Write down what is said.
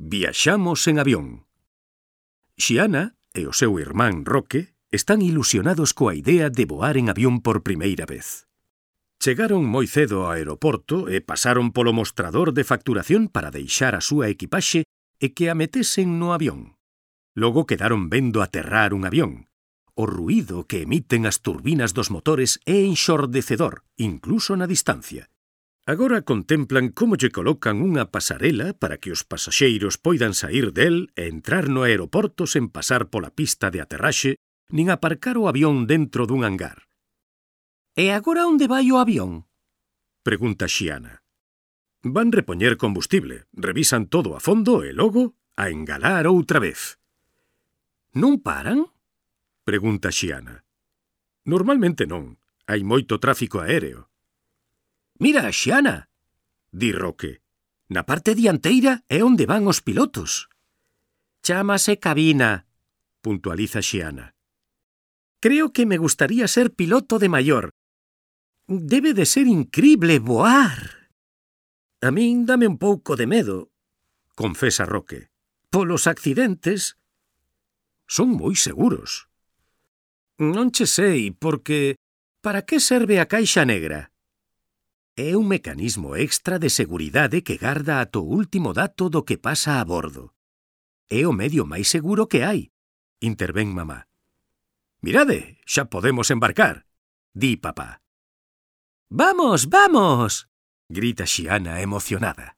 Viaxamos en avión. Xiana e o seu irmán Roque están ilusionados coa idea de voar en avión por primeira vez. Chegaron moi cedo ao aeroporto e pasaron polo mostrador de facturación para deixar a súa equipaxe e que a metesen no avión. Logo quedaron vendo aterrar un avión. O ruído que emiten as turbinas dos motores é enxordecedor, incluso na distancia. Agora contemplan como lle colocan unha pasarela para que os pasaxeiros poidan saír del e entrar no aeroporto sen pasar pola pista de aterraxe nin aparcar o avión dentro dun hangar. «E agora onde vai o avión?» pregunta Xiana. Van repoñer combustible, revisan todo a fondo e logo a engalar outra vez. «Non paran?» pregunta Xiana. Normalmente non, hai moito tráfico aéreo. «Mira, Xiana», di Roque, «na parte dianteira é onde van os pilotos». «Chámase cabina», puntualiza Xiana. «Creo que me gustaría ser piloto de maior. Debe de ser incrible voar». «A min dame un pouco de medo», confesa Roque. «Polos accidentes». «Son moi seguros». «Non che sei, porque... para que serve a caixa negra?» É un mecanismo extra de seguridade que garda ata o último dato do que pasa a bordo. É o medio máis seguro que hai, intervén mamá. «Mirade, xa podemos embarcar», di papá. «Vamos, vamos!», grita Xiana emocionada.